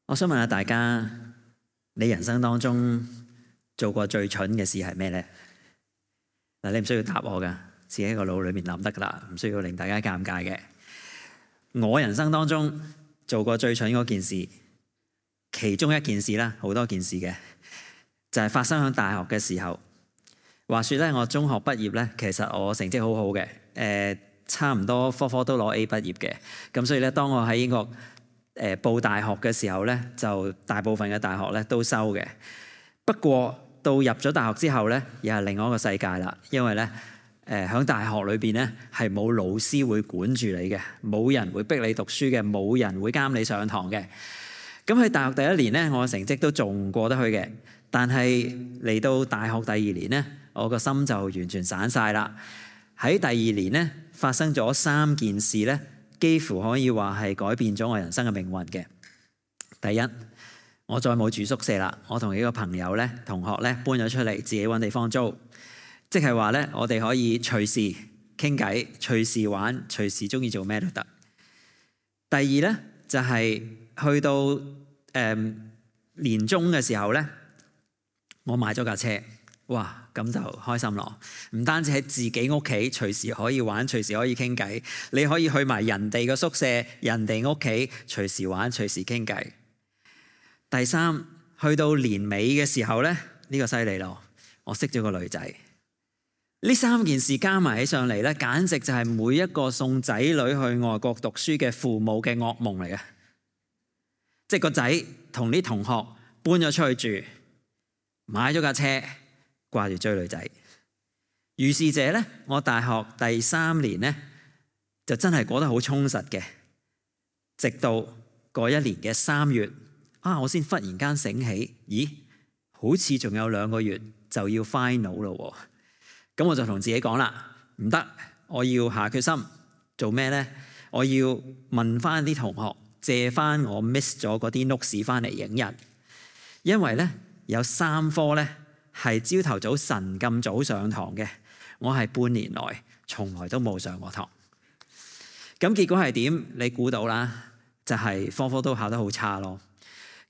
我想問下大家，你人生當中做過最蠢嘅事係咩呢？嗱，你唔需要答我噶，自己喺個腦裏面諗得噶啦，唔需要令大家尷尬嘅。我人生當中做過最蠢嗰件事，其中一件事啦，好多件事嘅，就係發生喺大學嘅時候。話說咧，我中學畢業咧，其實我成績好好嘅，差唔多科科都攞 A 畢業嘅。咁所以咧，當我喺英國報大學嘅時候咧，就大部分嘅大學咧都收嘅。不過到入咗大學之後咧，又係另外一個世界啦。因為咧，喺大學裏邊咧係冇老師會管住你嘅，冇人會逼你讀書嘅，冇人會監你上堂嘅。咁喺大學第一年咧，我嘅成績都仲過得去嘅。但係嚟到大學第二年咧，我個心就完全散晒啦。喺第二年咧，發生咗3件事咧，幾乎可以話係改變咗我人生嘅命運嘅。第一，我再冇住宿舍啦，我同幾個朋友咧、同學咧搬咗出嚟，自己揾地方租，即係話咧，我哋可以隨時傾偈、隨時玩、隨時中意做咩都得。第二咧，就係去到年中嘅時候咧，我買咗架車。哇，咁就開心咯！唔單止喺自己屋企隨時可以玩，隨時可以傾偈，你可以去埋人哋嘅宿舍、人哋屋企隨時玩、隨時傾偈。第三，去到年尾嘅時候咧，呢個犀利咯！我識咗個女仔。呢3件事加埋起上嚟咧，簡直就係每一個送仔女去外國讀書嘅父母嘅噩夢嚟嘅。即係個仔同啲同學搬咗出去住，買咗架車，掛住追女仔。於是者咧，我大學第3年咧就真係過得好充實嘅，直到嗰一年嘅3月我先忽然間醒起，咦，好似仲有2個月就要 final 咯。咁我就同自己講啦，唔得，我要下決心做咩呢？我要問翻啲同學借翻我 miss 咗嗰啲 notes 翻嚟影印，因為咧有3科咧係朝頭早神咁早上堂嘅，我係半年來從來都冇上過堂。咁結果係點？你估到啦，就係科科都考得好差咯。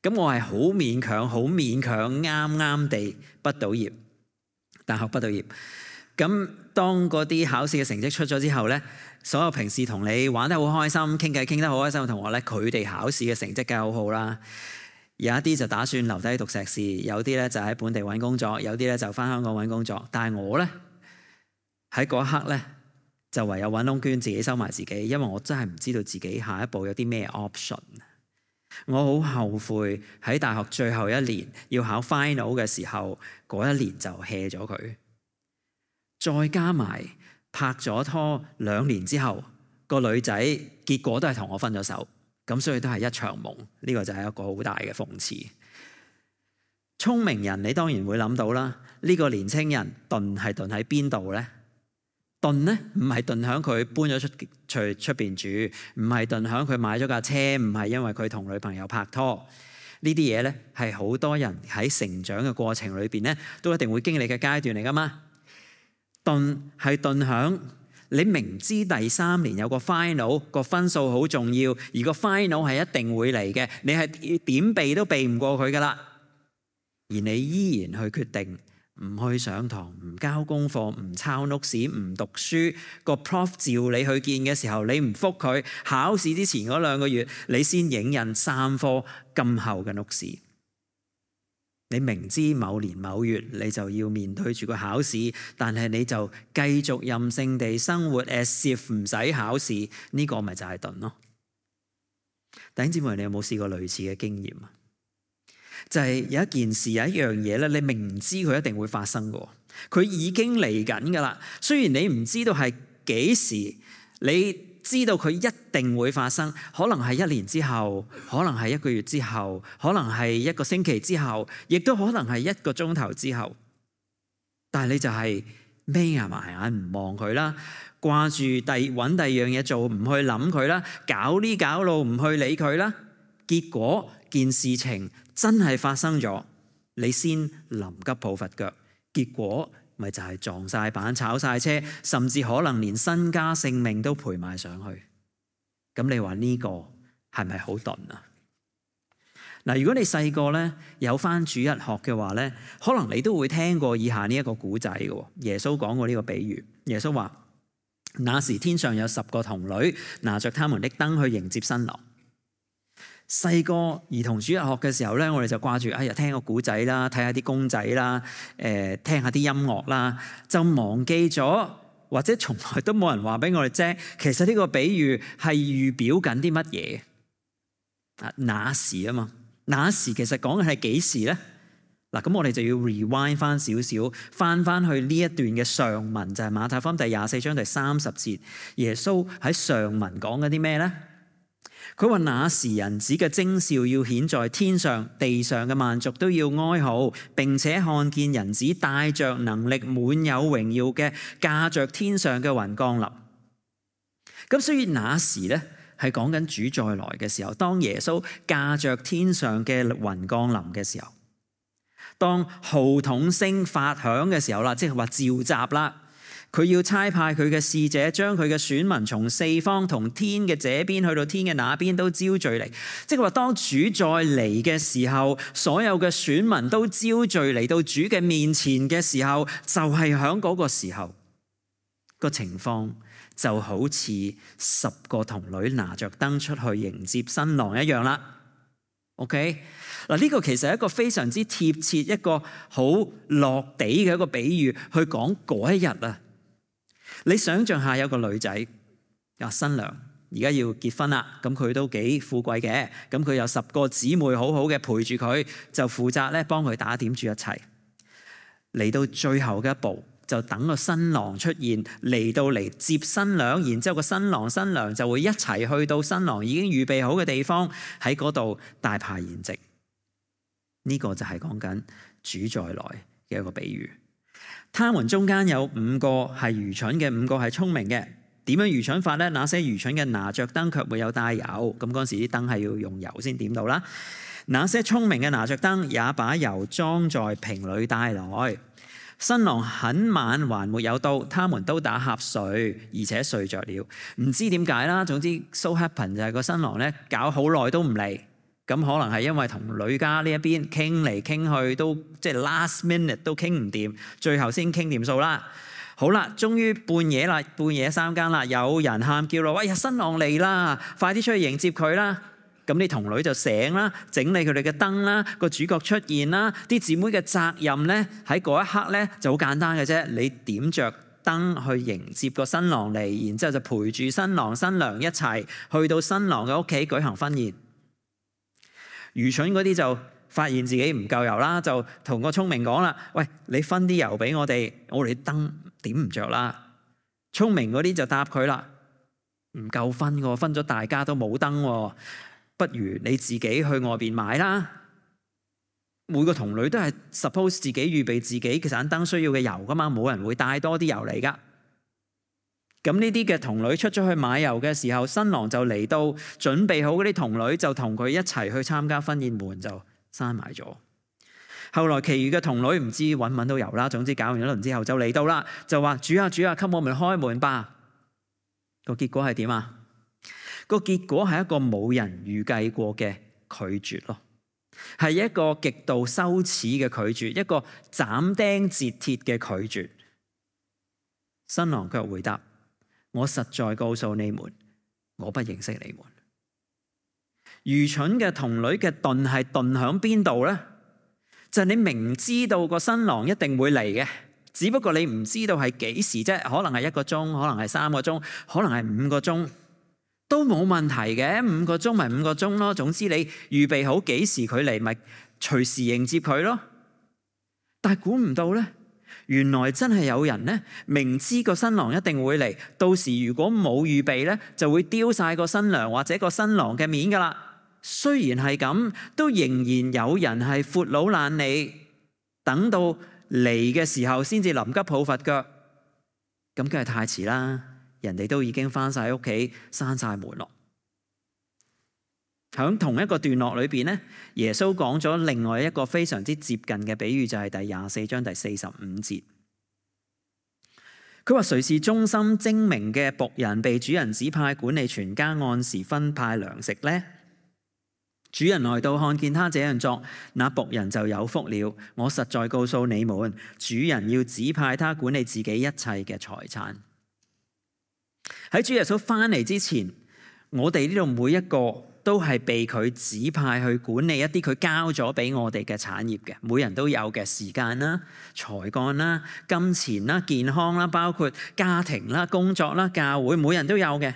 咁我係好勉強啱啱地畢到業，大學畢到業。咁當嗰啲考試嘅成績出咗之後咧，所有平時同你玩得好開心、傾偈傾得好開心嘅同學咧，佢哋考試嘅成績梗係好好啦。有一啲就打算留低讀碩士，有啲咧就喺本地揾工作，有啲咧就翻香港揾工作。但係我咧喺嗰一刻咧就唯有揾窿捐，自己收埋自己，因為我真係唔知道自己下一步有啲咩 option。我好後悔喺大學最後一年要考 final 嘅時候，嗰一年就 hea 咗佢。再加埋拍咗拖2年之後，個女仔結果都係同我分咗手，咁所以都係一場夢。呢個就係一個好大嘅諷刺。聰明人你當然會諗到啦，呢個年青人鈍係鈍喺邊度呢？鈍呢唔係鈍響佢搬咗出邊住，唔係鈍響佢買咗架車，唔係因為佢同女朋友拍拖。呢啲嘢呢係好多人喺成長嘅過程裏邊呢都一定會經歷嘅階段嚟噶嘛。鈍係鈍響你明知第3年有個 final 個分數好重要，而個 final 係一定會嚟嘅，你係點避都避唔過佢噶啦，而你依然去決定唔去上堂、唔交功課、唔抄 notes、唔讀書。個 prof 召你去見嘅時候，你唔覆佢。考試之前嗰2個月，你先影印3科咁厚嘅 notes。你明知某年某月你就要面對住個考試，但係你就繼續任性地生活 as if 唔使考試，呢個咪就係鈍咯。弟兄姊妹，你有冇試過類似嘅經驗啊？就係有一件事、有一樣嘢咧，你明知佢一定會發生嘅，佢已經嚟緊噶啦。雖然你唔知道係幾時，你知道佢一定會發生，可能係1年之後，可能係1個月之後，可能係1個星期之後，亦都可能係1個鐘頭之後。但係你就係眯埋眼唔望佢啦，掛住揾第二樣嘢做，唔去諗佢啦，搞呢搞路唔去理佢啦。結果件事情真係發生咗，你先臨急抱佛腳，結果咪就係撞晒板、炒晒車，甚至可能連身家性命都賠埋上去。咁你話呢個係咪好鈍啊？嗱，如果你細個咧有返主日學嘅話咧，可能你都會聽過以下呢一個古仔嘅。耶穌講過呢個比喻，耶穌話：那時天上有10個童女，拿着他們的燈去迎接新郎。細個兒童主日學嘅時候咧，我哋就掛住聽個古仔啦，睇下啲公仔啦，聽下啲音樂啦，就忘記咗，或者從來都冇人話俾我哋知，其實呢個比喻係預表緊啲乜嘢？那時啊嘛。那時其實講嘅係幾時咧？嗱，咁我哋就要 rewind 翻少少，翻去呢一段嘅上文，就係馬太福音第24章第30節。耶穌喺上文講緊啲咩咧？佢話：那時人子嘅徵兆要顯在天上，地上嘅萬族都要哀號，並且看見人子帶着能力、滿有榮耀嘅駕着天上嘅雲降臨。咁所以那時咧，係講緊主再來嘅時候，當耶穌駕着天上嘅雲降臨嘅時候，當號筒聲發響嘅時候啦，即係話召集啦，佢要差派佢嘅使者，將佢嘅選民從四方同天嘅這邊去到天嘅那邊都招聚嚟，即係話當主再嚟嘅時候，所有嘅選民都招聚嚟到主嘅面前嘅時候，就係響嗰個時候個情況。就好似10個童女拿着燈出去迎接新郎一樣啦。OK， 嗱，呢個其實係一個非常之貼切、一個好落地嘅一個比喻，去講嗰一日啊。你想象下有個女仔，新娘而家要結婚啦，咁佢都幾富貴嘅，咁佢有10個姊妹好好嘅陪住佢，就負責咧幫佢打點住一切。嚟到最後嘅一步，就等個新郎出現，嚟接新娘，然之後個新郎新娘就會一齊去到新郎已經預備好嘅地方，喺嗰度大排筵席。呢個就係講緊主再來嘅一個比喻。他們中間有5個係愚蠢嘅，5個係聰明嘅。點樣愚蠢法呢？那些愚蠢嘅拿着燈卻沒有帶油，咁嗰時啲燈係要用油先點到啦。那些聰明嘅拿着燈，也把油裝在瓶裏帶來。新郎很晚還沒有到，他們都打瞌睡，而且睡着了。唔知點解啦，總之 so happen 就係個新郎咧搞好耐都唔嚟，咁可能係因為同女家呢一邊傾嚟傾去都即係 last minute 都傾唔掂，最後先傾掂數啦。好啦，終於半夜啦，半夜3更啦，有人喊叫啦，喂呀，新郎嚟啦，快啲出去迎接佢啦！咁啲童女就醒啦，整理佢哋嘅燈啦，個主角出現啦，啲姊妹嘅責任咧喺嗰一刻咧就好簡單嘅啫，你點着燈去迎接個新郎嚟，然之後就陪住新郎新娘一齊去到新郎嘅屋企舉行婚宴。愚蠢嗰啲就發現自己唔夠油啦，就同個聰明講啦：喂，你分啲油俾我哋燈點唔着啦。聰明嗰啲就答佢啦：唔夠分喎，分咗大家都冇燈喎。不如你自己去外邊買啦。每個童女都係 suppose 自己預備自己嘅盞燈需要嘅油噶嘛，冇人會帶多啲油嚟噶。咁呢啲嘅童女出咗去買油嘅時候，新郎就嚟到，準備好嗰啲童女就同佢一齊去參加婚宴，門就閂埋咗。後來其餘嘅童女唔知搵唔搵到油啦，總之搞完一輪之後就嚟到啦，就話：主啊主啊，給我們開門吧。個結果係點啊？個結果係一個冇人預計過嘅拒絕咯，係一個極度羞恥嘅拒絕，一個斬釘截鐵嘅拒絕。新郎卻回答：我實在告訴你們，我不認識你們。愚蠢嘅童女嘅鈍係鈍響邊度呢？就係你明知道個新郎一定會嚟嘅，只不過你唔知道係幾時啫，可能係1個鐘，可能係3個鐘，可能係5個鐘。都冇問題嘅，5個鐘咪5個鐘咯。總之你預備好幾時佢嚟，咪隨時迎接佢咯。但係估唔到咧，原來真係有人咧，明知個新郎一定會嚟，到時如果冇預備咧，就會丟晒個新娘或者個新郎嘅面噶啦。雖然係咁，都仍然有人係闊佬懶理，等到嚟嘅時候先至臨急抱佛腳，咁梗係太遲啦。人哋都已經翻晒屋企，閂晒門咯。喺同一個段落裏邊咧，耶穌講咗另外一個非常之接近嘅比喻，就係第24章第45節。佢話：誰是忠心精明嘅僕人，被主人指派管理全家，按時分派糧食呢？主人來到，看見他這樣作，那僕人就有福了。我實在告訴你們，主人要指派他管理自己一切嘅財產。喺主耶穌翻嚟之前，我哋呢度每一個都係被佢指派去管理一啲佢交咗俾我哋嘅產業嘅，每人都有嘅時間啦、才幹啦、金錢啦、健康啦，包括家庭啦、工作啦、教會，每人都有嘅。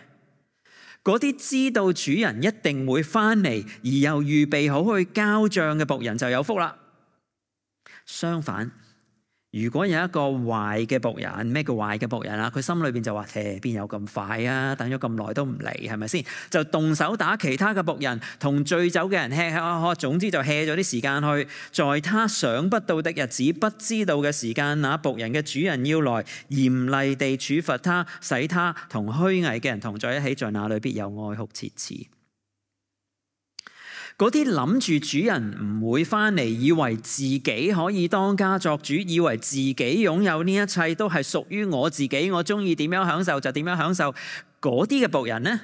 嗰啲知道主人一定會翻嚟，而又預備好去交賬嘅僕人就有福啦。相反，如果有一個壞嘅僕人，咩叫壞嘅僕人啊？佢心裏邊就話：邊有咁快啊？等咗咁耐都唔嚟，係咪先？就動手打其他嘅僕人，同醉酒嘅人吃吃喝喝，總之就 hea 咗啲時間去。在他想不到的日子，不知道嘅時間，那僕人嘅主人要來嚴厲地處罰他，使他同虛偽嘅人同在一起，在那裏必有哀哭切齒。嗰啲諗住主人唔會翻嚟，以為自己可以當家作主，以為自己擁有呢一切都係屬於我自己，我中意點樣享受就點樣享受。嗰啲嘅僕人呢，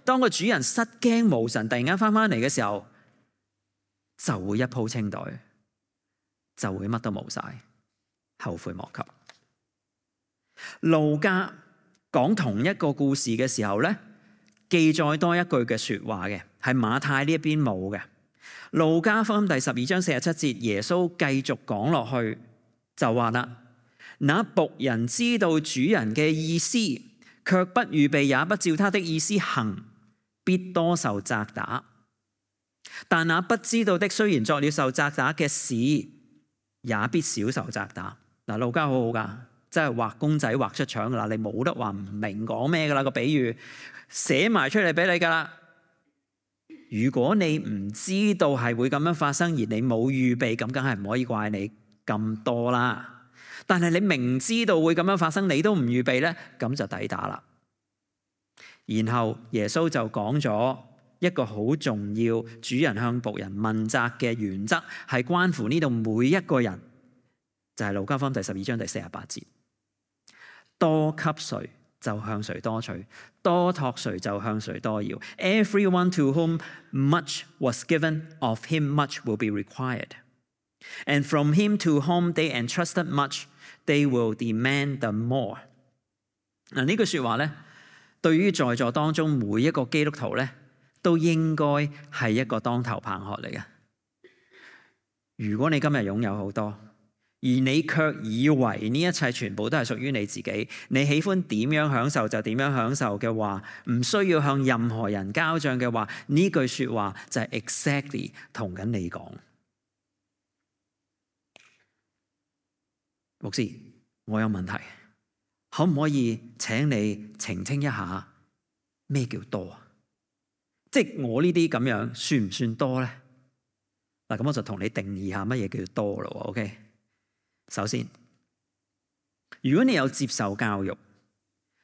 當個主人失驚無神突然間翻嚟嘅時候，就會一鋪清袋，就會乜都冇晒，後悔莫及。路加講同一個故事嘅時候呢，記載多一句嘅說話嘅，係馬太呢一邊冇嘅。路加福音第12章47節，耶穌繼續講落去就話啦：那僕人知道主人嘅意思，卻不預備也不照他的意思行，必多受責打。但那不知道的，雖然作了受責打嘅事，也必少受責打。嗱，路加好好噶，真係畫公仔畫出腸噶啦，你冇得話唔明講咩噶啦，個比喻寫埋出嚟俾你噶啦。如果你唔知道係會咁樣發生，而你冇預備，咁梗係唔可以怪你咁多啦。但係你明知道會咁樣發生，你都唔預備呢，咁就抵打啦。然後耶穌就講咗一個好重要，主人向僕人問責嘅原則，係關乎呢度每一個人，就係路加福音第12章第48節：多給誰，就向誰多取；多託誰，就向誰多要。Everyone to whom much was given, of him much will be required. And from him to whom they entrusted much, they will demand the more. 嗱，呢句說話咧，對於在座當中每一個基督徒咧，都應該係一個當頭棒喝嚟嘅。如果你今日擁有好多，而你卻以為呢一切全部都係屬於你自己，你喜歡點樣享受就點樣享受嘅話，唔需要向任何人交賬嘅話，呢句說話就係 exactly 同緊你講。牧師，我有問題，可唔可以請你澄清一下咩叫多啊？即係我呢啲咁樣算唔算多咧？嗱，咁我就同你定義下乜嘢叫多咯。OK。首先，如果你有接受教育，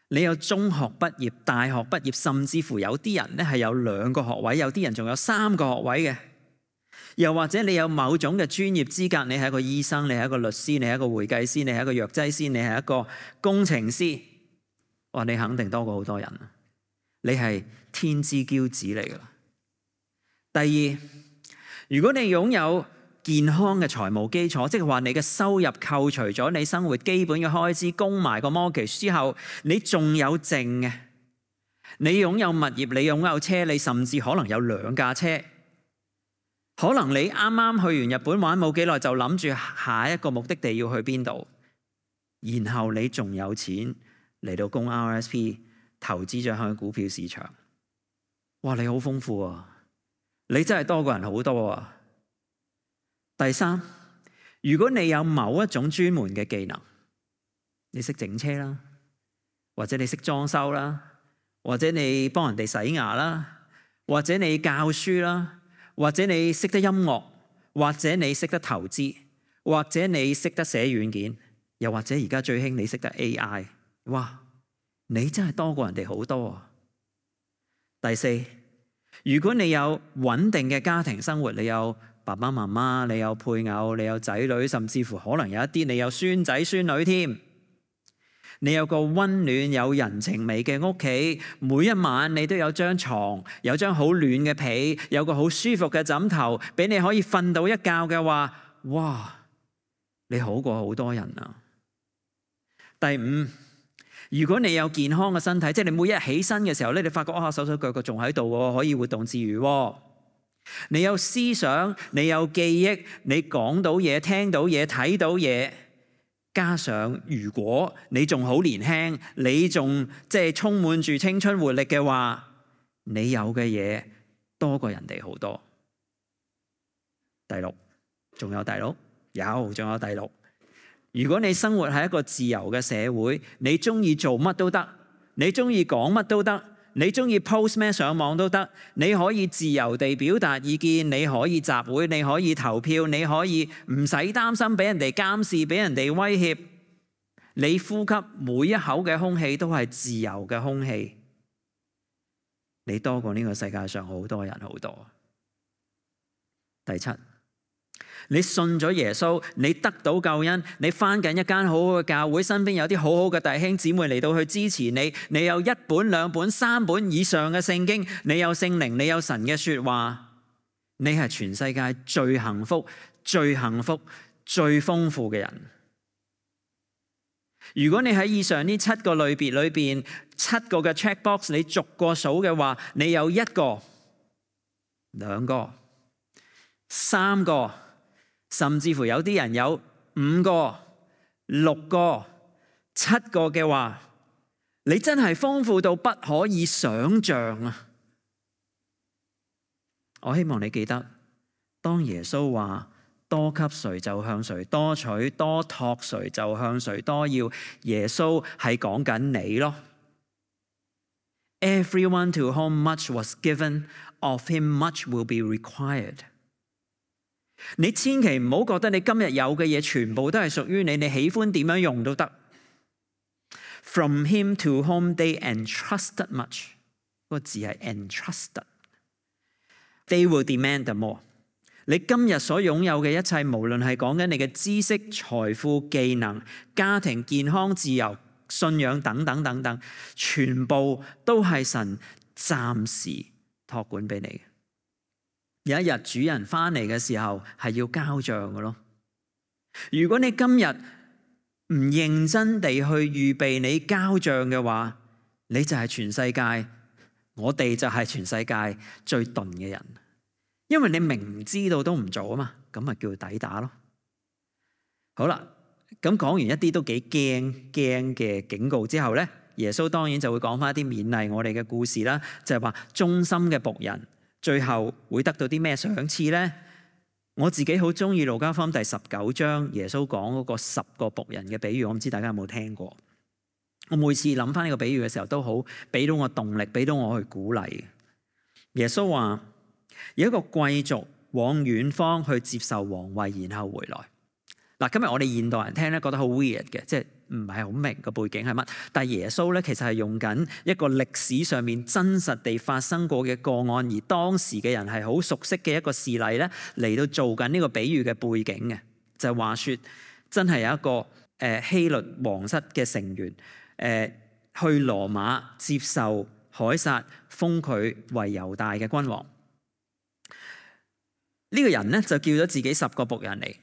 你有中學畢業、大學畢業，甚至乎有啲人咧係有2個學位，有啲人仲有3個學位嘅，又或者你有某種嘅專業資格，你係一個醫生，你係一個律師，你係一個會計師，你係一個藥劑師，你係一個工程師，哇！你肯定多過好多人，你係天之驕子嚟噶啦。第二，如果你擁有健康嘅財務基礎，即係話你嘅收入扣除咗你生活基本嘅開支，供埋個 mortgage 之後，你仲有剩嘅。你擁有物業，你擁有車，你甚至可能有2架車。可能你啱啱去完日本玩冇幾耐，就諗住下一個目的地要去邊度，然後你仲有錢嚟到供 RSP， 投資咗向股票市場。哇！你好豐富啊，你真係多過人好多啊。第三，如果你有某一種專門嘅技能，你識整車啦，或者你識裝修啦，或者你幫人哋洗牙啦，或者你教書啦，或者你識得音樂，或者你識得投資，或者你識得寫軟件，又或者而家最興你識得 AI， 哇！你真係多過人哋好多啊。第四，如果你有穩定嘅家庭生活，你有爸爸媽媽，你有配偶，你有仔女，甚至乎可能有一啲你有孫仔孫女添。你有個溫暖有人情味嘅屋企，每一晚你都有張床，有張好暖嘅被，有個好舒服嘅枕頭，俾你可以瞓到一覺嘅話，哇！你好過好多人啊。第五，如果你有健康嘅身體，即係你每日起身嘅時候咧，你發覺手手腳腳仲喺度喎，可以活動自如喎。你有思想，你有記憶，你講到嘢，聽到嘢，睇到嘢，加上如果你仲好年輕，你仲即係充滿住青春活力嘅話，你有嘅嘢多過人哋好多。第六，仲有第六？仲有第六。如果你生活喺一個自由嘅社會，你中意做乜都得，你中意講乜都得，你中意 post 咩上網都得，你可以自由地表達意見，你可以集會，你可以投票，你可以唔使擔心俾人哋監視，俾人哋威脅。你呼吸每一口嘅空氣都係自由嘅空氣，你多過呢個世界上好多人好多。第七，你信咗耶穌，你得到救恩，你返緊一間好好嘅教會，身邊有啲好好嘅弟兄姊妹嚟到去支持你，你有1本、2本、3本以上嘅聖經，你有聖靈，你有神嘅說話，你係全世界最幸福、最幸福、最豐富嘅人。如果你喺以上呢7個類別裏邊7個嘅 checkbox 你逐個數嘅話，你有1個、2個、3個，甚至乎有啲人有5個、6個、7個嘅話，你真係豐富到不可以想象啊！我希望你記得，當耶穌話多給誰就向誰多取，多託誰就向誰多要，耶穌係講緊你咯。Everyone to whom much was given, of him much will be required。你千祈唔好覺得你今日有嘅嘢全部都係屬於你，你喜歡點樣用都得。From him to whom they entrusted much， 個字係 entrusted。They will demand the more。你今日所擁有嘅一切，無論係講緊你嘅知識、財富、技能、家庭、健康、自由、信仰等等等等，全部都係神暫時託管俾你嘅。有一日主人翻嚟嘅時候，係要交賬嘅咯。如果你今日唔認真地去預備你交賬嘅話，你就係全世界，我哋就係全世界最鈍嘅人。因為你明知道都唔做啊嘛，咁咪叫抵打咯。好啦，咁講完一啲都幾驚嘅警告之後咧，耶穌當然就會講翻一啲勉勵我哋嘅故事啦，就係話忠心嘅僕人最後會得到啲咩賞賜咧？我自己好中意路加福音第19章耶穌講嗰個10個僕人嘅比喻，我唔知大家有冇聽過。我每次諗翻呢個比喻嘅時候，都好俾到我動力，俾到我去鼓勵。耶穌話，有一個貴族往遠方去接受皇位，然後回來。嗱，今日我哋現代人聽咧，覺得好 weird 嘅，即係唔係好明個背景係乜。但係耶穌咧，其實係用緊一個歷史上面真實地發生過嘅個案，而當時嘅人係好熟悉嘅一個事例咧，嚟到做緊呢個比喻嘅背景嘅。就係話說，真係有一個希律皇室嘅成員去羅馬接受凱撒封佢為猶大嘅君王。呢個人咧就叫咗自己10個僕人嚟，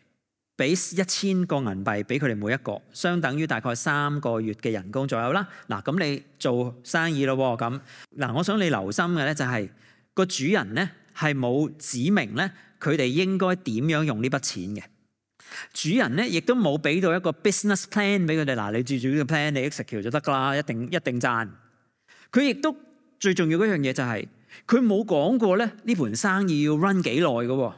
俾1000個銀幣俾佢哋每一個，相等於大概3個月嘅人工左右啦。嗱，咁你做生意咯咁。嗱，我想你留心嘅咧就係個主人咧係冇指明咧佢哋應該點樣用呢筆錢嘅。主人咧亦都冇俾到一個 business plan 俾佢哋。嗱，你照住呢個 plan 你 execute 就得噶啦，一定賺。佢亦都最重要嗰樣嘢就係佢冇講過咧呢盤生意要 run 幾耐嘅。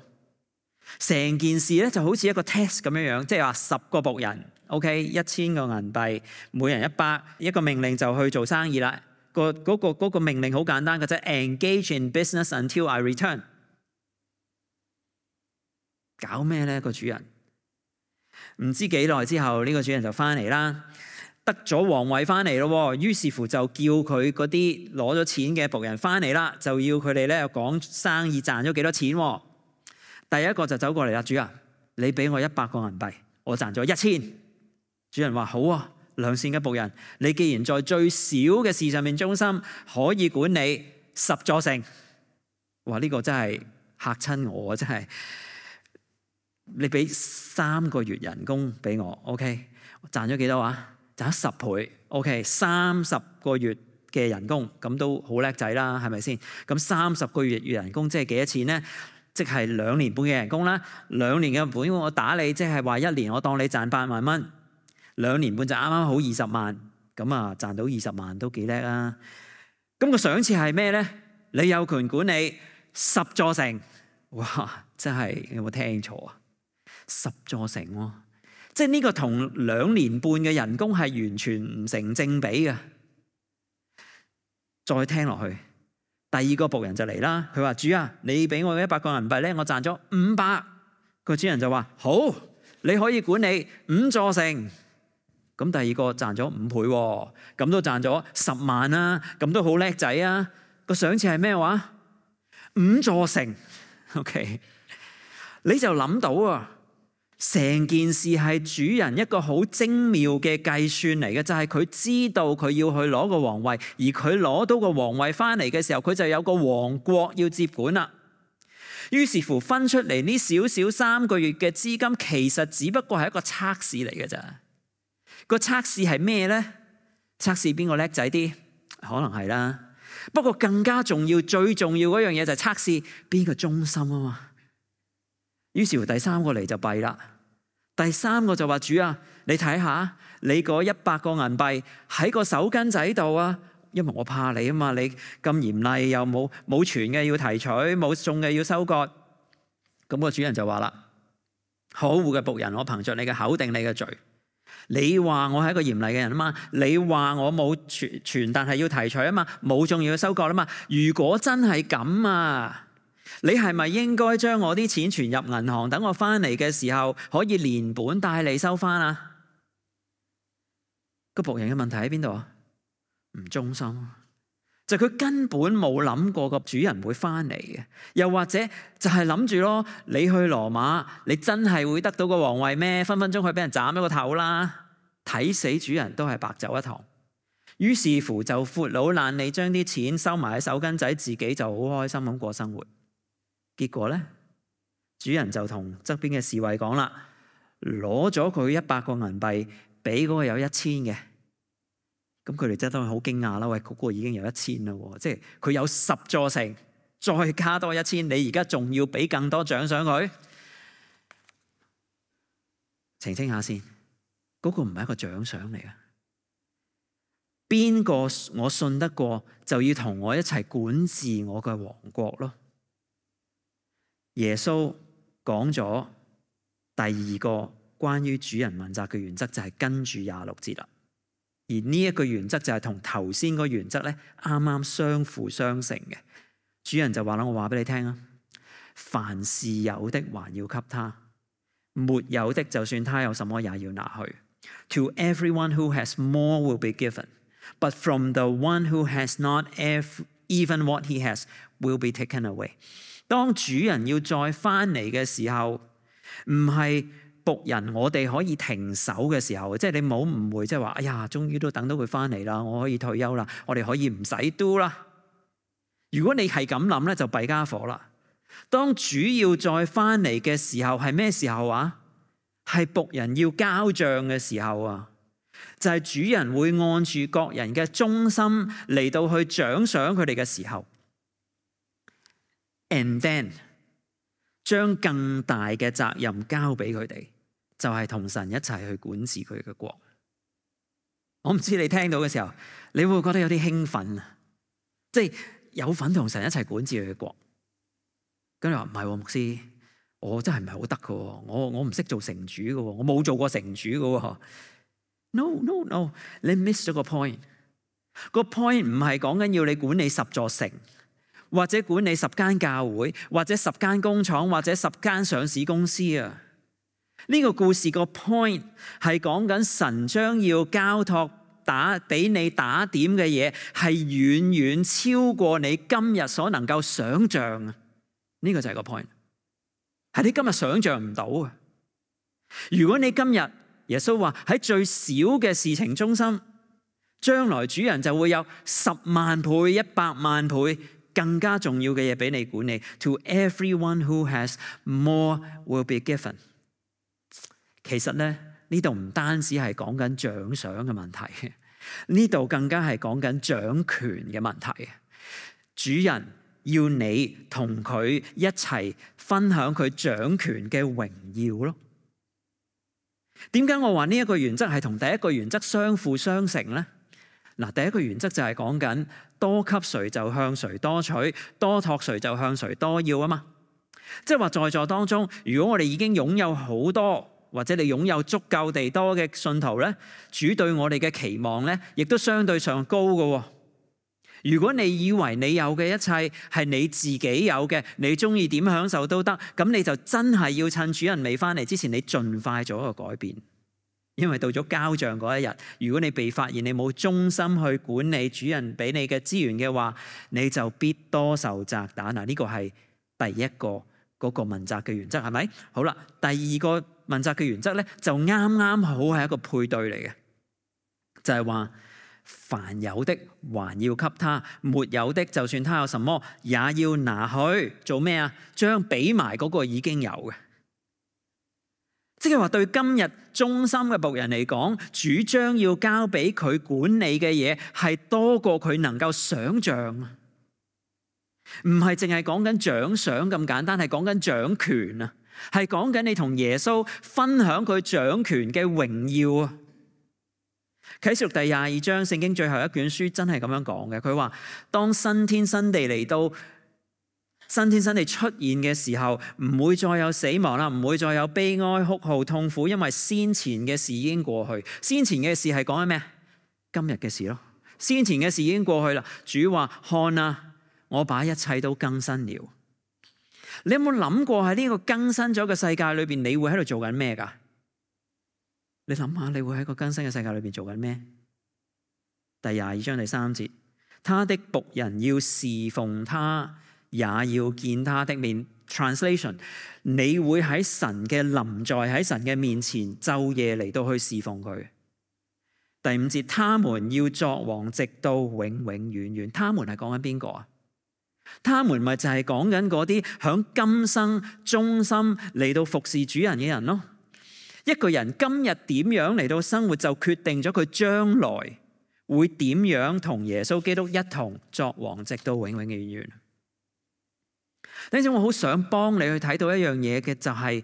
成件事咧就好似一個 test 咁樣樣，即係話10個僕人 ，OK， 1000個銀幣，每人100，一個命令就去做生意啦。嗰個命令好簡單嘅啫 ，engage in business until I return。搞咩咧？個主人唔知幾耐之後，呢個主人就翻嚟啦，得咗皇位翻嚟咯。於是乎就叫佢嗰啲攞咗錢嘅僕人翻嚟啦，就要佢哋咧講生意賺咗幾多錢。第一個就走過嚟啦，主人，你俾我100個銀幣，我賺咗1000。主人話好啊，良善嘅僕人，你既然在最小嘅事上面忠心，可以管理10座城。哇！呢個真係嚇親我，真係你俾3個月人工俾我 ，OK， 賺咗幾多啊？賺咗10倍 ，OK， 30個月嘅人工，咁都好叻仔啦，係咪先？咁30個月人工即係幾多錢咧？即係2年半嘅人工啦。2年嘅本我打你，即係話1年我當你賺8萬蚊，2年半就啱啱好20萬，咁啊賺到20萬都幾叻啊！咁個賞賜係咩咧？你有權管理10座城。哇！真係有冇聽錯啊？10座城喎，即係呢個同2年半嘅人工係完全唔成正比嘅。再聽落去，第2個僕人就嚟啦。佢話：主啊，你俾我100個銀幣咧，我賺咗500。個主人就話：好，你可以管理5座城。咁第2個賺咗5倍喎，咁都賺咗10萬啦，咁都好叻仔啊！個賞賜係咩話？5座城。OK， 你就諗到啊，成件事係主人一個好精妙嘅計算嚟嘅，就係佢知道佢要去攞個皇位，而佢攞到個皇位翻嚟嘅時候，佢就有個王國要接管啦。於是乎分出嚟呢少少3個月嘅資金，其實只不過係一個測試嚟嘅咋。個測試係咩呢？測試邊個叻仔啲？可能係啦。不過更加重要、最重要嗰樣嘢就係測試邊個忠心啊嘛。於是乎第3個嚟就弊啦。第3個就話：主啊，你睇下，你嗰100個銀幣喺個手巾仔度啊，因為我怕你啊嘛，你咁嚴厲又冇傳嘅要提取，冇送嘅要收割。咁個主人就話啦：可惡嘅僕人，我憑着你嘅口定你嘅罪。你話我係一個嚴厲嘅人啊嘛，你話我冇傳但係要提取啊嘛，冇種要收割啊嘛。如果真係咁啊，你係咪應該將我啲錢存入銀行，等我翻嚟嘅時候可以連本帶利收翻啊？個僕人嘅問題喺邊度啊？唔忠心，就佢根本冇諗過個主人會翻嚟嘅，又或者就係諗住咯，你去羅馬，你真係會得到個皇位咩？分分鐘去俾人斬咗個頭啦！睇死主人都係白走一趟。於是乎就闊佬懶理，將啲錢收埋喺手巾仔，自己就好開心咁過生活。結果咧，主人就同側邊嘅侍衛講啦，攞咗佢100個銀幣，俾嗰個有1000嘅。咁佢哋真係當然好驚訝啦！喂，嗰個已經有1000啦，即係佢有10座城，再加多1000，你而家仲要俾更多獎賞佢？澄清下先，嗰個唔係一個獎賞嚟嘅。邊個我信得過，就要同我一齊管治我嘅王國咯。耶穌講咗第2個關於主人問責嘅原則，就係跟住26節啦。而呢一個原則就係同頭先個原則咧啱啱相輔相成嘅。主人就話啦：我話俾你聽啊，凡是有的還要給他，沒有的就算他有什麼也要拿去。To everyone who has more will be given, but from the one who has not, even what he has will be taken away。當主人要再翻嚟嘅時候，唔係僕人我哋可以停手嘅時候，即係你唔好誤會，即係話哎呀，終於都等到佢翻嚟啦，我可以退休啦，我哋可以唔使 do 啦。如果你係咁諗咧，就弊家伙啦。當主要再翻嚟嘅時候，係咩時候啊？係僕人要交賬嘅時候啊，就係主人會按住各人嘅忠心嚟到去獎賞佢哋嘅時候。And then 將更大嘅責任交俾佢哋，就係同神一齊去管治佢嘅國。我唔知你聽到嘅時候，你會覺得有啲興奮啊！即係有份同神一齊管治佢嘅國。跟住話唔係牧師，我真係唔係好得嘅，我唔識做城主嘅，我冇做過城主嘅。No， 你 miss 咗個 point。個 point 唔係講緊要你管理10座城，或者管理10間教會，或者10間工廠，或者10間上市公司啊。呢個故事個 point 係講緊神將要交託俾你打點嘅嘢，係遠遠超過你今日所能夠想象啊！呢個就係個 point， 係你今日想象唔到啊！如果你今日耶穌話喺最小嘅事情中心，將來主人就會有10萬倍、100萬倍更加重要嘅嘢俾你管理。To everyone who has, more will be given。其實咧，呢度唔單止係講緊獎賞嘅問題，呢度更加係講緊掌權嘅問題。主人要你同佢一齊分享佢掌權嘅榮耀咯。點解我話呢一個原則係同第一個原則相輔相成呢？嗱，第一個原則就係講緊多給誰就向誰多取，多託誰就向誰多要啊嘛。即係話在座當中，如果我哋已經擁有好多，或者你擁有足夠地多嘅信徒咧，主對我哋嘅期望咧，亦都相對上高嘅。如果你以為你有嘅一切係你自己有嘅，你中意點享受都得，咁你就真係要趁主人未翻嚟之前，你盡快做一個改變。因為到咗交賬嗰一日，如果你被發現你冇忠心去管理主人俾你嘅資源嘅話，你就必多受責打。嗱，呢個係第一個嗰個問責嘅原則，係咪？好啦，第二個問責嘅原則咧，就啱啱好係一個配對嚟嘅，就係話凡有的還要給他，沒有的就算他有什麼也要拿去做咩啊？將俾埋嗰個已經有嘅。即係話對今日忠心嘅僕人嚟講，主將要交俾佢管理嘅嘢係多過佢能夠想象，唔係淨係講緊獎賞咁簡單，係講緊掌權啊，係講緊你同耶穌分享佢掌權嘅榮耀啊。啟示錄第22章聖經最後一卷書真係咁樣講嘅，佢話當新天新地嚟到，新天新地出現嘅時候，唔會再有死亡啦，唔會再有悲哀、哭號、痛苦，因為先前嘅事已經過去。先前嘅事係講緊咩？今日嘅事咯。先前嘅事已經過去啦。主話：看啊，我把一切都更新了。你有冇諗過喺呢個更新咗嘅世界裏邊，你會喺度做緊咩噶？你諗下，你會喺個更新嘅世界裏邊做緊咩？第22章第3節，他的僕人要侍奉他，也要見他的面。Translation， 你會喺神嘅臨在，喺神嘅面前晝夜嚟到去侍奉佢。第5節，他們要作王直到永永遠遠。他們係講緊邊個啊？他們咪就係講緊嗰啲響今生忠心嚟到服侍主人嘅人咯。一個人今日點樣嚟到生活，就決定咗佢將來會點樣同耶穌基督一同作王直到永永遠遠。等陣我好想幫你去睇到一樣嘢嘅，就係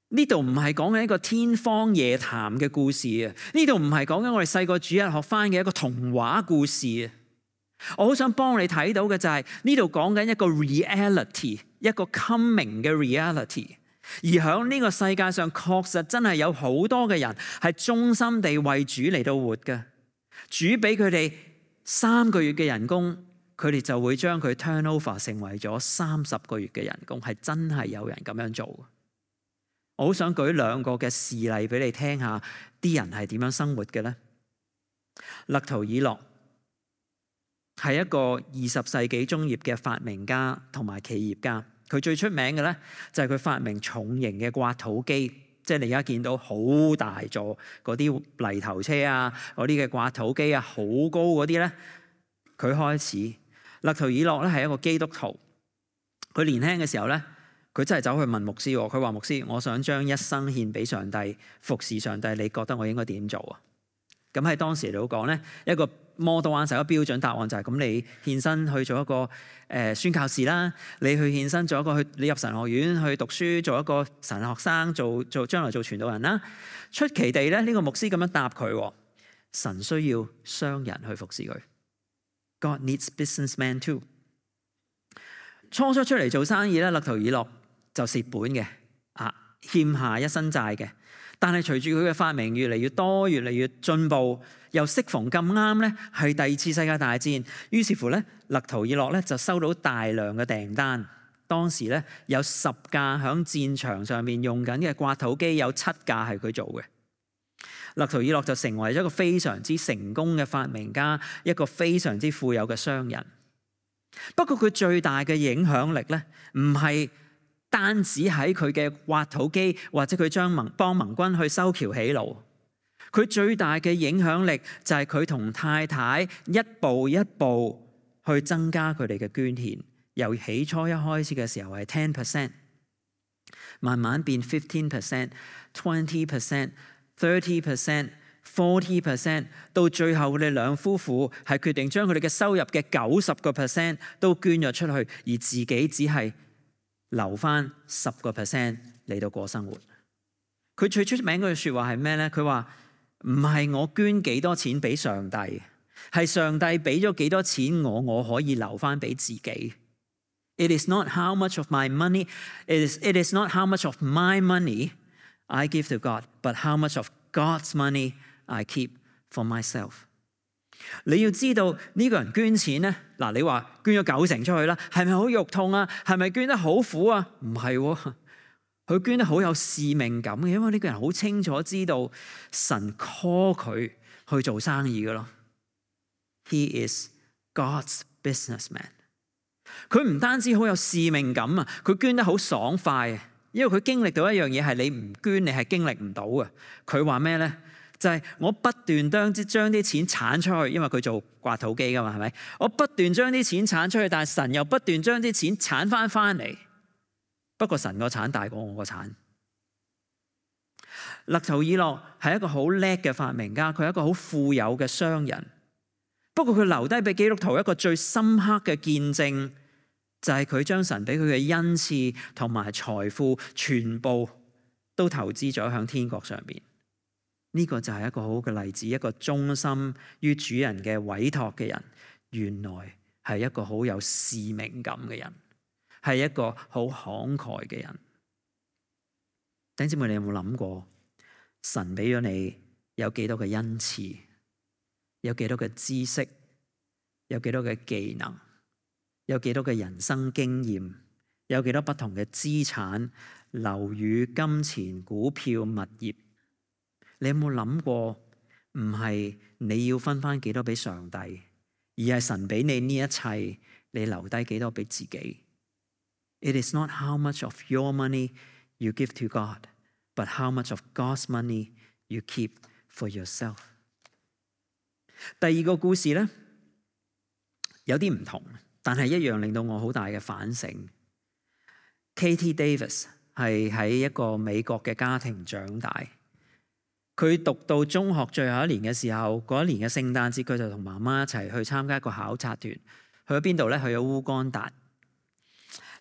呢度唔係講緊一個天方夜譚嘅故事啊！呢度唔係講緊我哋細個主日學翻嘅一個童話故事啊！我好想幫你睇到嘅就係呢度講緊一個 reality， 一個 coming 嘅 reality。而喺呢個世界上，確實真係有好多嘅人係忠心地為主嚟到活嘅。主俾佢哋3個月嘅人工，佢哋就會將佢 turn over 成為咗30個月嘅人工，係真係有人咁樣做。我好想舉2個嘅事例俾你聽下，啲人係點樣生活嘅咧？勒圖爾諾係一個20世紀中葉嘅發明家同埋企業家。佢最出名嘅咧就係佢發明重型嘅刮土機，即係你而家見到好大座嗰啲泥頭車啊，嗰啲嘅刮土機啊，好高嗰啲咧，佢開始。勒圖爾諾咧係一個基督徒，佢年輕嘅時候咧，佢真係走去問牧師，佢話牧師，我想將一生獻俾上帝，服侍上帝，你覺得我應該點做啊？咁喺當時嚟講咧，一個 model answer， 一個標準答案就係咁，你獻身去做一個宣教士啦，你去獻身做一個你入神學院去讀書，做一個神學生，做將來做傳道人啦。出奇地咧，呢個牧師咁樣答佢：神需要商人去服侍佢。God needs businessmen too。初出嚟做生意咧，勒圖爾諾就蝕本嘅，欠下一身債嘅。但係隨住佢嘅發明越嚟越多，越嚟越進步，又適逢咁啱咧，係第2次世界大戰。於是乎咧，勒圖爾諾咧就收到大量嘅訂單。當時咧有10架響戰場上面用緊嘅刮土機，有7架係佢做嘅。勒圖爾諾就成為咗一個非常之成功嘅發明家，一個非常之富有嘅商人。不過佢最大嘅影響力咧，唔係單止喺佢嘅挖土機，或者佢幫盟軍去修橋起路，佢最大嘅影響力就係佢同太太一步一步去增加佢哋嘅捐獻，由起初一開始嘅時候係 10%， 慢慢變 15%、20%、30%、40%，到最後佢哋兩夫婦係決定將佢哋嘅收入嘅90% 都捐咗出去，而自己只係留翻10% 嚟到過生活。佢最出名嗰句說話係咩呢？佢話唔係我捐幾多錢俾上帝，係上帝俾咗幾多錢我可以留翻俾自己。It is not how much of my money, it is not how much of my money I give to God, but how much of God's money I keep for myself。 你要知道呢個人捐錢呢，嗱，你話捐咗90%出去啦，係咪好肉痛啊？係咪捐得好苦啊？唔係喎，佢捐得好有使命感嘅，因為呢個人好清楚知道神 call 佢去做生意嘅咯。He is God's businessman。 佢唔單止好有使命感啊，佢捐得好爽快啊，因為佢經歷到一樣嘢係你唔捐你係經歷唔到嘅。佢話咩呢？就係我不斷將啲錢鏟出去，因為佢做刮土機噶嘛，係咪？我不斷將啲錢鏟出去，但係神又不斷將啲錢鏟翻嚟。不過神個鏟大過我個鏟。勒圖爾諾係一個好叻嘅發明家，佢係一個好富有嘅商人。不過佢留低俾基督徒一個最深刻嘅見證，就係佢將神俾佢嘅恩賜同埋財富全部都投資咗向天國上邊。呢個就係一個好嘅例子，一個忠心於主人嘅委託嘅人，原來係一個好有使命感嘅人，係一個好慷慨嘅人。弟兄姊妹，你有冇諗過神俾咗你有幾多嘅恩賜，有幾多嘅知識，有幾多嘅技能，有幾多嘅人生經驗，有幾多不同嘅資產、樓宇、金錢、股票、物業？你有冇諗過，唔係你要分翻幾多俾上帝，而係神俾你呢一切，你留低幾多俾自己。It is not how much of your money you give to God, but how much of God's money you keep for yourself。 第二個故事呢，有啲唔同，但係一樣令到我好大嘅反省。Katie Davis 係喺一個美國嘅家庭長大。佢讀到中學最後一年嘅時候，嗰一年嘅聖誕節，佢就同媽媽一齊去參加一個考察團。去咗邊度呢？去咗烏干達。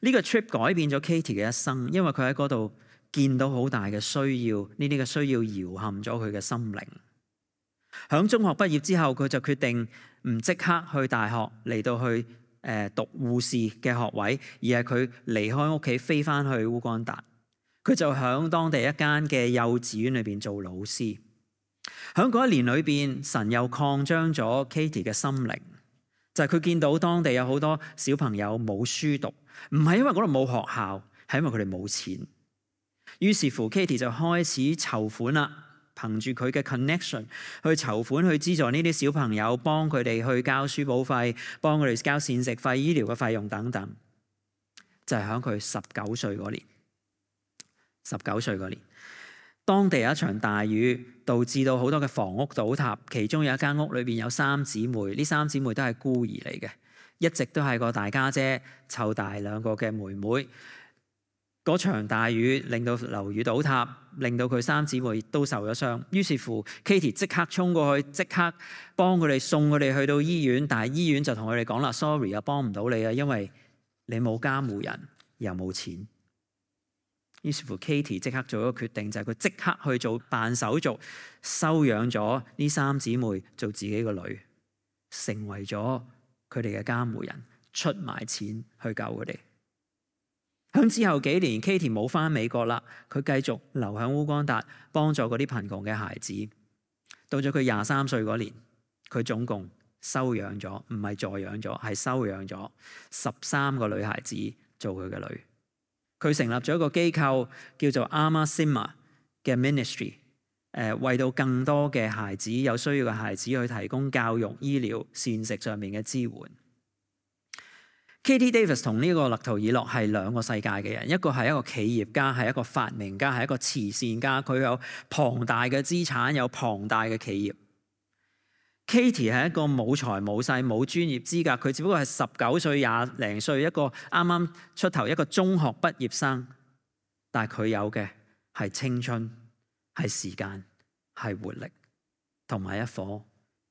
呢個 trip 改變咗 Katie 嘅一生，因為佢喺嗰度見到好大嘅需要，呢啲嘅需要搖撼咗佢嘅心靈。響中學畢業之後，佢就決定唔即刻去大學嚟到去讀護士嘅學位，而係佢離開屋企飛翻去烏干達。佢就喺當地一間嘅幼稚園裏邊做老師。喺嗰一年裏邊，神又擴張咗 Katie 嘅心靈，就係佢見到當地有好多小朋友冇書讀，唔係因為嗰度冇學校，係因為佢哋冇錢。於是乎 Katie 就開始籌款啦，憑住佢嘅 connection 去籌款去資助呢啲小朋友，幫佢哋去交書簿費，幫佢哋交膳食費、醫療嘅費用等等。就係喺佢19歲嗰年。19歲嗰年，當地有一場大雨，導致到好多嘅房屋倒塌，其中有一間屋裏邊有3姊妹，呢3姊妹都係孤兒嚟嘅，一直都係個大家姐湊大2個嘅妹妹。嗰場大雨令到樓宇倒塌，令到佢3姊妹都受咗傷。於是乎 Katie 即刻衝過去，即刻幫佢哋送佢哋去到醫院，但係醫院就同佢哋講啦 ，sorry 啊，幫唔到你啊，因為你冇監護人又冇錢。於是乎 Katie 即刻做一個決定，就係佢即刻去做辦手續，收養咗呢3姊妹做自己個女，成為咗佢哋嘅監護人，出埋錢去救佢哋。響之後幾年 Katie 冇返美國啦，佢繼續留喺烏干達幫助嗰啲貧窮嘅孩子。到咗佢23歲嗰年，佢總共收養咗，唔係助養咗，係收養咗13個女孩子做佢嘅女。佢成立咗一個機構叫做 Ama Sima 嘅 ministry， 為到更多嘅孩子，有需要嘅孩子去提供教育、醫療、膳食上面嘅支援。Katie Davis 同呢個勒圖爾諾係兩個世界嘅人，一個係一個企業家，係一個發明家，係一個慈善家，佢有龐大嘅資產，有龐大嘅企業。Katie 係一個冇財冇勢冇專業資格，佢只不過係19歲20零歲一個啱啱出頭一個中學畢業生，但係佢有嘅係青春、係時間、係活力，同埋一顆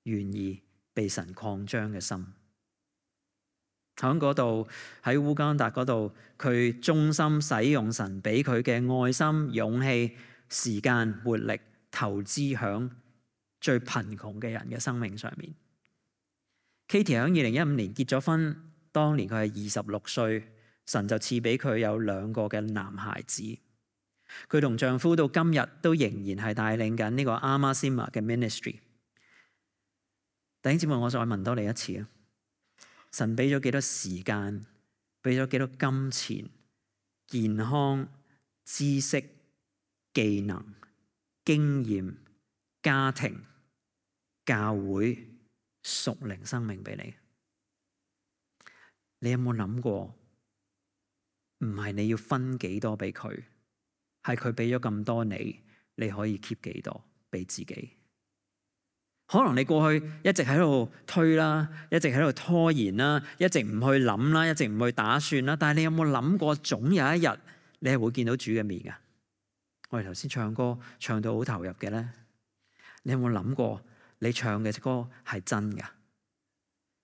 願意被神擴張嘅心。喺嗰度，喺烏干達嗰度，佢忠心使用神俾佢嘅愛心、勇氣、時間、活力，投資響最貧窮嘅人嘅生命上面。Katie 喺2015年結咗婚，當年佢係26歲，神就賜俾佢有2個嘅男孩子。佢同丈夫到今日都仍然係帶領緊呢個阿瑪斯瑪嘅 ministry。弟兄姊妹，我再問多你一次啊！神俾咗幾多時間，俾咗幾多金錢、健康、知識、技能、經驗、家庭、教會、屬靈生命俾你？你有冇諗過？唔係你要分幾多俾佢，係佢俾咗咁多你，你可以 keep 幾多俾自己？可能你過去一直喺度推啦，一直喺度拖延啦，一直唔去諗啦，一直唔去打算啦。但係你有冇諗過，總有一日你係會見到主嘅面㗎？我哋頭先唱歌唱到好投入嘅咧，你有冇諗過你唱嘅歌係真㗎？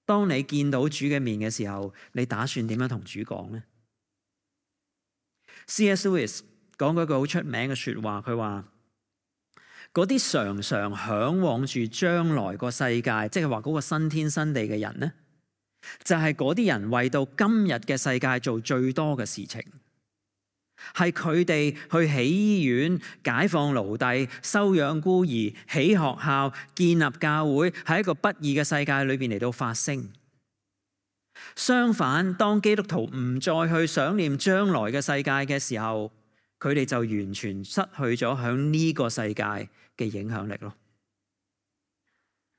當你見到主嘅面嘅時候，你打算點樣同主講呢？ C.S. Lewis 講過一句好出名嘅說話，佢話嗰啲常常嚮往住將來個世界，即係話嗰個新天新地嘅人呢，就係嗰啲人為到今日嘅世界做最多嘅事情，係佢哋去起醫院、解放奴隸、收養孤兒、起學校、建立教會，喺一個不義嘅世界裏邊嚟到發聲。相反，當基督徒唔再去想念將來嘅世界嘅時候，佢哋就完全失去咗響呢個世界嘅影響力咯。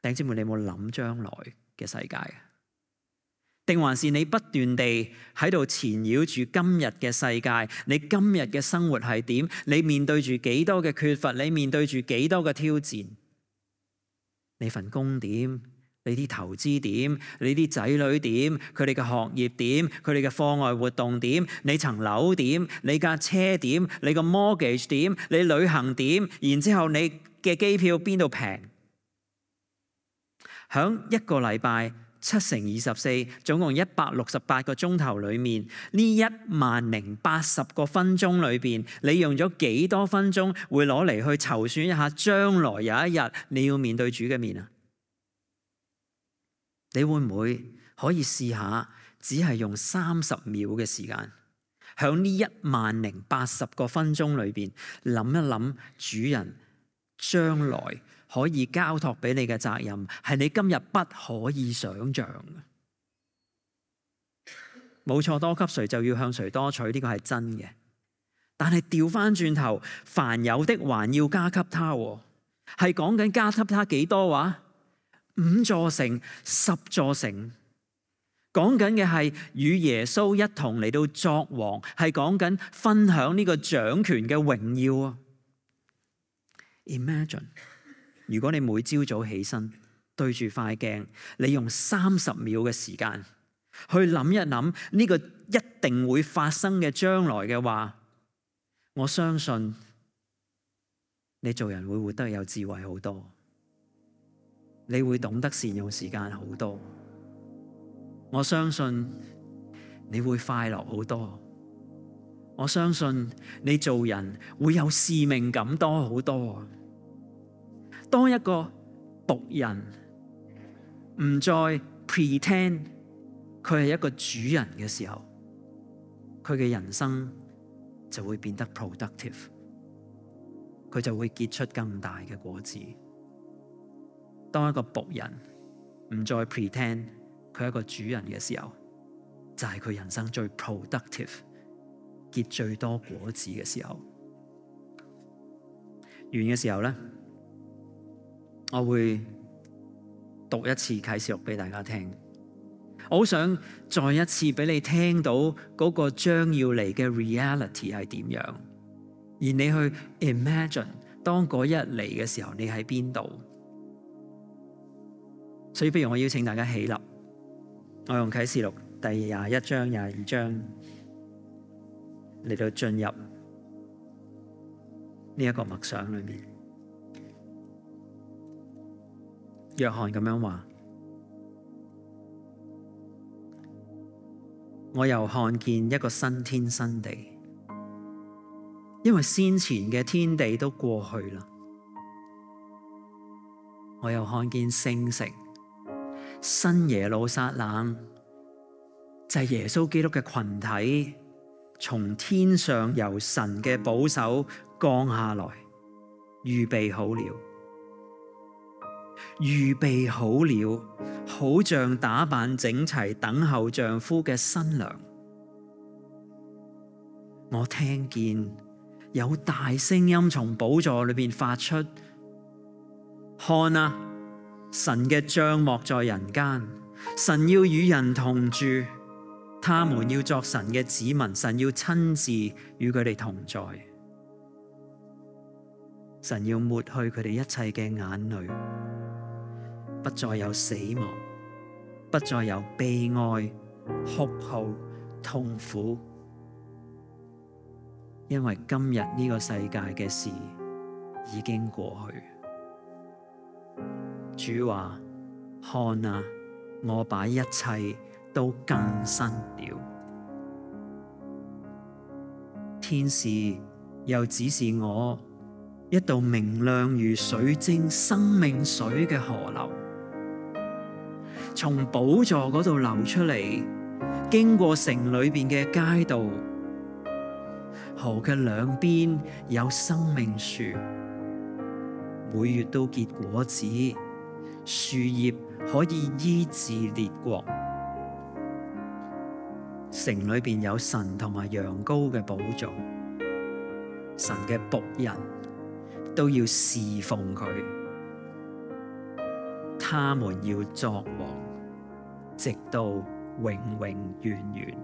弟兄姊妹，你有冇諗將來嘅世界？定還是你不斷地喺度纏繞住今日嘅世界？你今日嘅生活係點？你面對住幾多嘅缺乏？你面對住幾多嘅挑戰？你份工點？你啲投資點？你啲仔女點？佢哋嘅學業點？佢哋嘅課外活動點？你層樓點？你架車點？你個 mortgage 點？你旅行點？然之後你嘅機票邊度平？響一個禮拜7×24，總共168個鐘頭裏面，呢1080個分鐘裏邊，你用咗幾多分鐘會攞嚟去籌算一下將來有一日你要面對主嘅面啊？你會唔會可以試下，只係用30秒嘅時間，響呢1080個分鐘裏邊諗一諗主人將來可以交託俾你嘅責任，係你今日不可以想象嘅。冇錯，多給誰就要向誰多取，呢個係真嘅。但係調翻轉頭，凡有的還要加給他，係講緊加給他幾多話？5座城、10座城，講緊嘅係與耶穌一同嚟到作王，係講緊分享呢個掌權嘅榮耀啊 ！Imagine， 如果你每朝早起身對住塊鏡，你用30秒嘅時間去諗一諗呢個一定會發生嘅將來嘅話，我相信你做人會活得有智慧好多。你會懂得善用時間好多，我相信你會快樂好多，我相信你做人會有使命感多好多。當一個僕人唔再 pretend 佢係一個主人嘅時候，佢嘅人生就會變得 productive， 佢就會結出更大嘅果子。當一個僕人唔再 pretend 佢係一個主人嘅時候，就係佢人生最 productive、結最多果子嘅時候。完嘅時候咧，我會讀一次啟示錄俾大家聽。我好想再一次俾你聽到嗰個將要嚟嘅 reality 係點樣，而你去 imagine 當嗰日嚟嘅時候，你喺邊度？所以不如我邀請大家起立，我用啟示錄第21章、22章嚟到進入呢一個默想裏面。約翰咁樣話：我又看見一個新天新地，因為先前嘅天地都過去啦。我又看見聖城新耶路撒冷，就係耶穌基督嘅群體，從天上由神嘅保守降下來，預備好了，預備好了，好像打扮整齊等候丈夫嘅新娘。我聽見有大聲音從寶座裏面發出：看啊，神嘅帳幕在人間，神要與人同住，他們要作神嘅子民，神要親自與佢哋同在，神要抹去佢哋一切嘅眼淚，不再有死亡，不再有悲哀、哭號、痛苦，因為今日呢個世界嘅事已經過去。主話：看啊，我把一切都更新了。天使又指示我一道明亮如水晶生命水嘅河流，從寶座嗰度流出嚟，經過城裏邊嘅街道。河嘅兩邊有生命樹，每月都結果子，樹葉可以醫治列國。城裏邊有神同埋羊羔嘅寶座，神嘅僕人都要侍奉佢，他們要作王，直到永永遠遠。